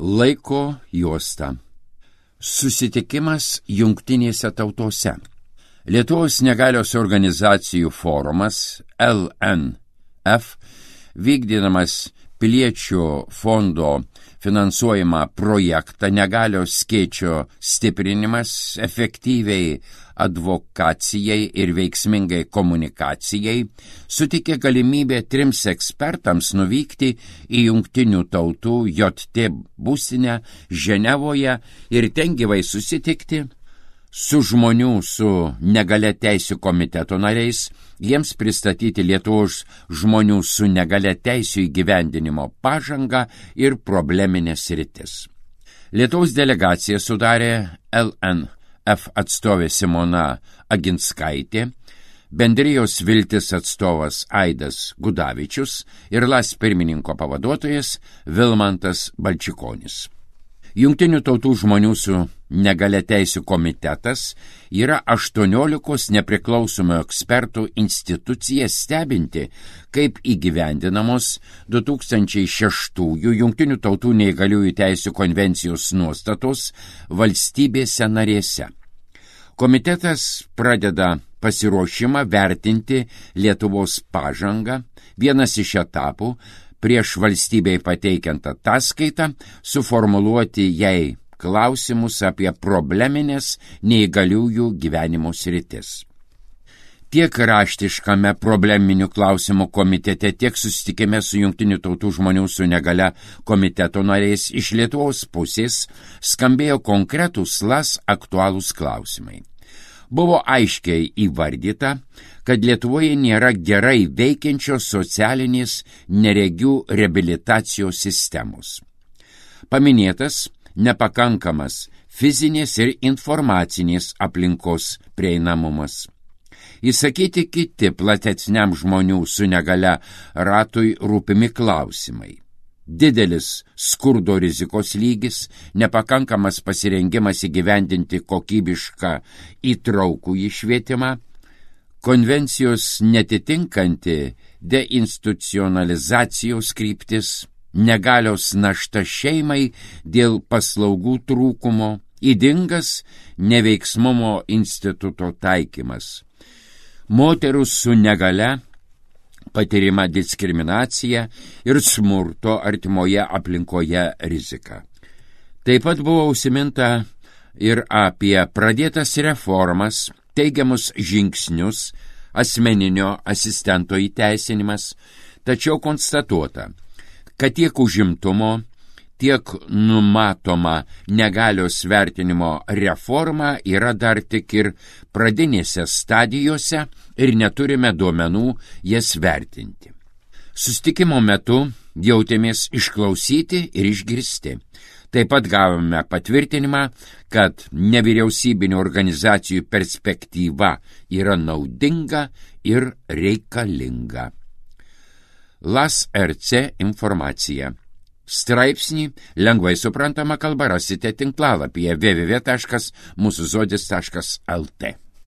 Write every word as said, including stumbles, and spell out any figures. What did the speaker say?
Laiko juosta. Susitikimas Jungtinėse tautose. Lietuvos negalios organizacijų forumas L N F, vykdydamas Piliečių fondo finansuojamą projektą negalios skėčio stiprinimas efektyviai advokacijai ir veiksmingai komunikacijai, sutikė galimybę trims ekspertams nuvykti į Jungtinių tautų J T būstinę Ženevoje ir ten gyvai susitikti su žmonių su negalia teisių komiteto nariais, jiems pristatyti Lietuvos žmonių su negalia teisių įgyvendinimo pažangą ir probleminės sritis. Lietuvos delegaciją sudarė L N F atstovė Simona Aginskaitė, Bendrijos Viltis atstovas Aidas Gudavičius ir L A S pirmininko pavaduotojas Vilmantas Balčikonis. Jungtinių tautų žmonių su negalia teisių komitetas yra aštuoniolikos nepriklausomų ekspertų institucija stebinti, kaip įgyvendinamos du tūkstančiai šeštųjų Jungtinių tautų neįgaliųjų teisių konvencijos nuostatos valstybėse narėse. Komitetas pradeda pasiruošimą vertinti Lietuvos pažangą. Vienas iš etapų prieš valstybei pateikiant ataskaitą suformuluoti jai klausimus apie probleminės neįgaliųjų gyvenimo sritis. Tiek raštiškame probleminių klausimų komitete, tiek susitikime su Jungtinių tautų žmonių su negalia komiteto nariais iš Lietuvos pusės skambėjo konkretūs L A S aktualūs klausimai. Buvo aiškiai įvardyta, kad Lietuvoje nėra gerai veikiančios socialinės neregių reabilitacijos sistemos. Paminėtas nepakankamas fizinės ir informacinės aplinkos prieinamumas. Įsakyti kiti platesniam žmonių su negalia ratui rūpimi klausimai. Didelis skurdo rizikos lygis, nepakankamas pasirengimas įgyvendinti kokybišką įtraukų švietimą, konvencijos netitinkanti deinstitucionalizacijos kryptis, negalios našta šeimai dėl paslaugų trūkumo, ydingas neveiksmumo instituto taikymas. Moterų su negalia patirima diskriminacija ir smurto artimoje aplinkoje rizika. Taip pat buvo užsiminta ir apie pradėtas reformas, teigiamus žingsnius, asmeninio asistento įteisinimas, tačiau konstatuota, kad tiek užimtumo, tiek numatoma negalios vertinimo reforma yra dar tik ir pradinėse stadijose ir neturime duomenų jas vertinti. Susitikimo metu jautėmės išklausyti ir išgirsti. Taip pat gavome patvirtinimą, kad nevyriausybinių organizacijų perspektyva yra naudinga ir reikalinga. L A S R C informacija. Straipsnį lengvai suprantama kalba rasite tinklalapyje w w w taškas mūsų žodis taškas l t.